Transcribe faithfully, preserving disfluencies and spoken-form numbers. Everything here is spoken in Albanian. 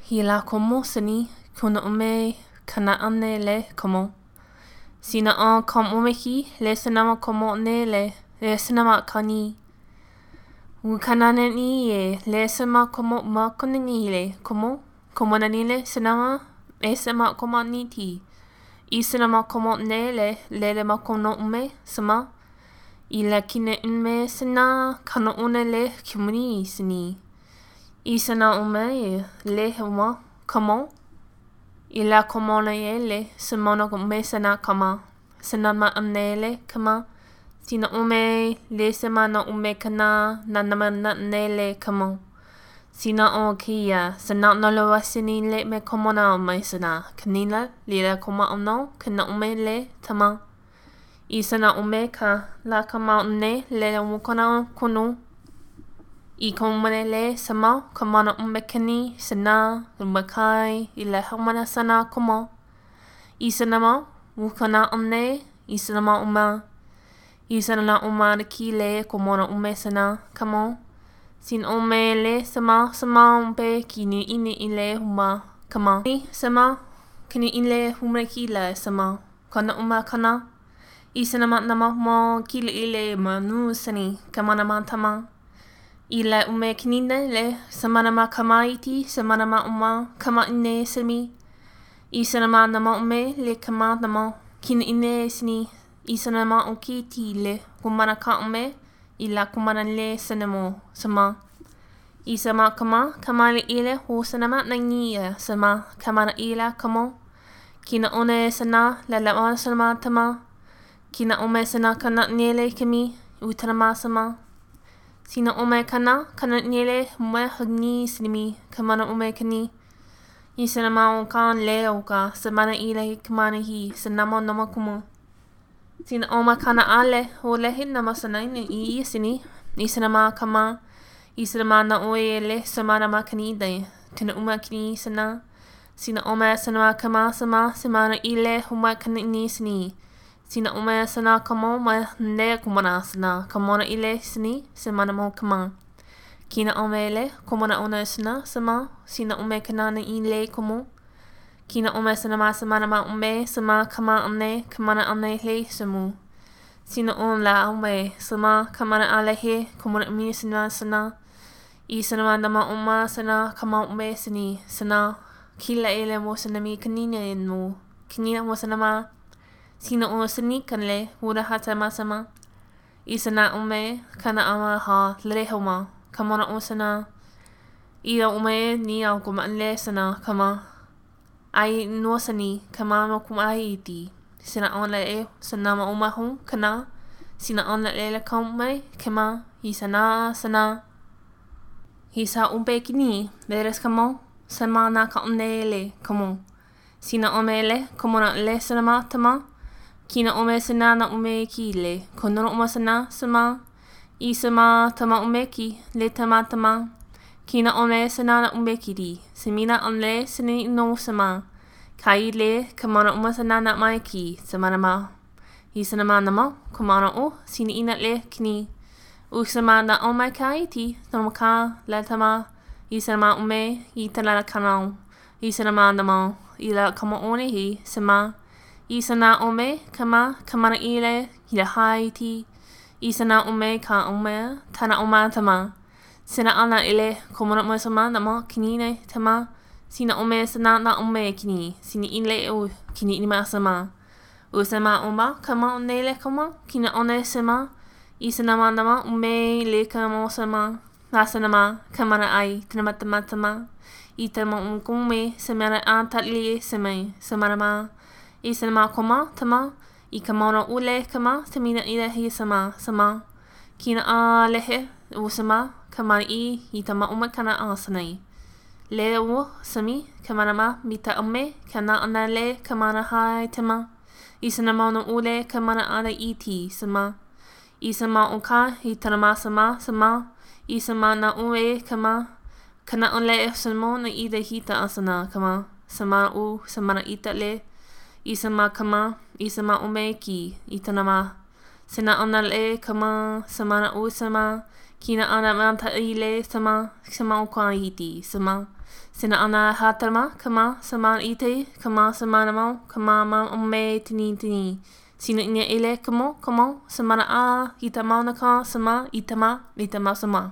Hila komo sini kuna ume kana ane le komo. Sina o kom umeki le sinama komo ne le le sinama kani. Ukanane ni e le sima komo ma konini le komo komo nani le sinama e sima komo ni ti. I sinama komo ne le le le ma kono ume sima. I la kine ume sina kano une le kimuni sini. I sina ume e le huma komo. I la komo na e le simono ume sina kama. Sinama ane le kama. Sina ume le sima na ume kana na nama na ne le kamo. Sina o kia sina no loa sini le me komo na mai sina. Kanila lila koma ono kana ume le tama. I sina ume ka la kama une le umukona kunu. I komane le sama kamana ume kani sina umakai i la hamana sana komo. I sinama ukana une i sinama uma. I sana uma ki le komona ume sana kamo. Sin ume le sama sama umpe kini ini ile huma kama. I sama kini ile huma ki le sama. Kana uma kana. I sana nama mo kile ile manu sani kamana matama. I le ume kini le sama nama kama iti sama nama uma kama ine sami. I sana nama ume le kama nama kini ine sini. I sanama o ki ti le kumana ka ume i la kumana le sanamo sama. I sama kama kama le ile ho sanama na ngia sama kamana ila kamo. Kina one sana la la sama tama. Kina ome sana kana nele kimi utanama sama. Sina ome kana kana nele mwe hagni sinimi kamana ume kani. I sanama o kan le o ka samana ile kamana hi sanamo nama kumo. Sina oma kana ale o lehi nama sanaine i sini. I sanama kama. I sanama na oe le samana makani de. Tena uma kini sana. Sina oma sanama kama sama samana ile huma kani ni sini. Sina oma sana kamo ma ne kumana sana. Kamona ile sini samana mo kama. Kina ome le komona ona sana sama. Sina ume kanana ile komo. Kina ume sanama samana ma ume sama kama ane kamana ane le samu. Sina on la ume sama kamana ale he komona umi sana sana. I sanama nama uma sana kama ume sani sana. Kila ele mo sanami kanina no. Kanina mo sanama. Sina o sani kanle hura hata masama. I sana ume kana ama ha le homa kamona o sana. I ume ni au kuma le sana kama. Ai no sani kama mo kuma ai ti sina on la e sana ma uma hu kana sina on la le kom mai kama hi sana sana hi sa umpe kini veres kamo sama na ka onele kamo sina omele komo na le sana ma tama kina ome sana na ume ki le kono uma sana sama i sama tama ume ki le tama tama. Kina ome sana na ume kiri. Semina onle sini no sama. Kai le kamana uma sana na mai ki. Samana ma. I sanama nama kamana o sini ina le kini. U sama na o mai kai ti. Tamaka le tama. I sanama ume i tanala kanao. I sanama nama i la kama one hi sama. I sana ome kama kamana ile i la hai ti. I sana ume ka ume tana oma tama. Sina ana ile komona mo sama nama kini tama. Sina ome sana na ume kini. Sini ile o kini ni ma sama. O sama oma kama one le kama kina one sama. I sanama nama ume le kama sama. La sanama kamana ai tanama tama tama. I tama umkume samana antatli same samanama. I sanama koma tama. I kamona ule kama samina ile hi sama sama. Kina a lehe o sama. Kamana i i tama uma kana asanai. Le o sami kamana ma mita ume kana ana le kamana hai tama. I sanama no ule kamana ana i ti sama. I sama o ka i tanama sama sama. I sama na ue kama. Kana ole samo na i de hita asana kama. Sama u samana ita le. I sama kama i sama ume ki i tanama. Sena ona le kama samana u sama. Kina ana manta ile sama sama o ka iti sama. Sina ona hatama kama sama ite kama sama namo kama ma ome tini tini. Sina ina ele kamo kamo samana a itama na ka sama itama itama sama.